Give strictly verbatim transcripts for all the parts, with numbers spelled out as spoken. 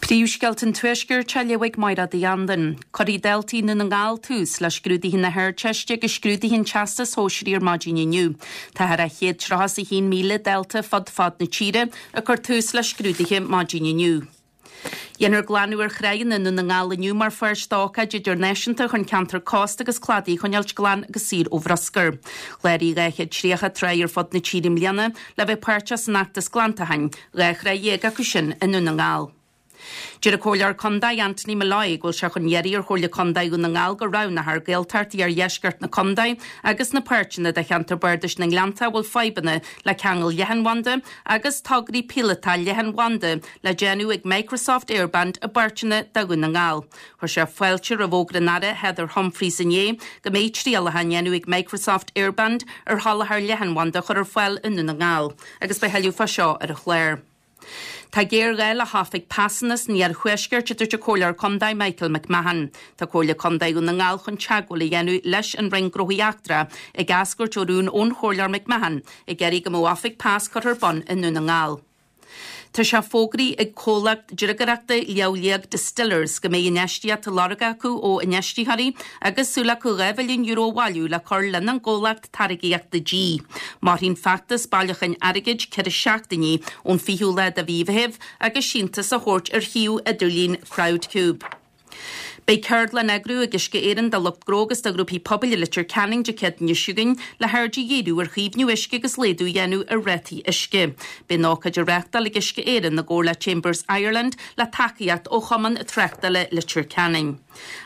Príomhscéalta an Tuaiscirt á léamh ag Máire Uí Andain. Cuirfidh daltaí Dhún na nGall tús le scrúduithe na hArdteiste agus scrúduithe an Teastais Shóisearaigh ar maidin inniu. Tá thar chéad tríocha is a haon míle dalta fud fad na tíre ag cur tús le scrúduithe maidin inniu. Dhéanfar glanadh ar thránna Dhún na nGall inniu mar pháirt d'ócáid idirnáisiúnta chun ceantar cósta agus cladaí a choinneáilt glan agus saor ó bhruscar. Chláraigh dhá chéad tríocha trá ar fud na tíre i mbliana le bheith páirteach san fheachtas glantacháin, dhá thrá dhéag acu sin i nDún na nGall. Deir an Comhairleoir Contae Anthony Molloy go bhfuil sé chun iarraidh ar Chomhairle Contae Dhún na nGall go roghnófar Gaeltacht iardheisceart na Contae agus na páirteanna de cheantar Bardais na nGleannta bhfuil fadhbanna le ceangal leathanbhanda agus tograí píolótach leathanbhanda le déanamh ag Microsoft Airband i bpáirteanna de Dhún na nGall. Chuir sé fáilte roimh fhógra an Aire Heather Humphreys inné go mbeidh trialacha á ndéanamh ag Microsoft Airband ar sholáthar leathanbhanda a chur ar fáil i nDún na nGall, agus beidh tuilleadh fá seo ar an chlár. Tá géarghá le hoifig pasanna san iarthuaisceart a dúirt an Comhairleoir Contae Michael McMahon. Tá Comhairle Contae Dhún na nGall chun teagmháil a dhéanamh leis an Roinn Gnóthaí Eachtracha ag eascairt ó rún ón Chomhairleoir McMahon ag iarraidh go mbeadh oifig pas curtha ar bun i nDún na nGall. Tá sé fógraithe ag comhlacht driogaireachta Léabh Liag Distillers go mbeidh infheistíocht á lorg acu ó infheistitheoirí agus súil acu dhá mhilliún euro a bhailiú le cur lena gcomhlacht táirgeachta dí. Mairfidh an feachtas bailiúcháin airgid ceithre seachtainí ón fichiú lá de mhí Mheithimh agus síntiús á thabhairt ar shuíomh idirlín Crowdcube. Beidh ceardlann á eagrú ag Uisce Éireann do lucht gnó agus do ghrúpaí pobail i Leitir Ceanainn Dé Céadaoin seo chugainn le haird a dhíriú ar chaomhnú uisce agus laghdú a dhéanamh ar rátaí uisce. Beidh an ócáid á reáchtáil ag Uisce Éireann i gcomhar le Chambers Ireland le tacaíocht ó Chumann Tráchtála Leitir Ceanainn.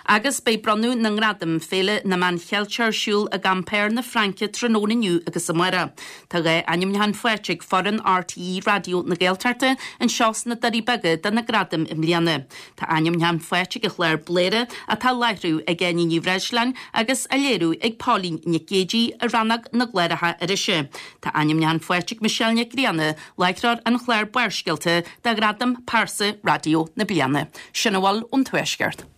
Agus beidh bronnadh na ngradam Féile na Meán Cheilteach ar siúl i gCampéir na Fraince tráthnóna inniu agus amárach. Tá dhá ainmniúchán faighte ag foireann RTÉ Raidió na Gaeltachta anseo sna Doirí Beaga do na gradaim i mbliana. Tá ainmniúchán faighte ag an chlár Bléire atá á láithriú ag Áine Ní Bhreisleáin agus á léiriú ag Pauline Nic Géadaigh i rannóg na gcláracha irise. Tá ainmniúchán faighte ag Michelle Nic Grianna, láithreoir an chláir Barrscéalta do ghradam Pearsa Raidió na Bliana. Sin a bhfuil ón Tuaisceart.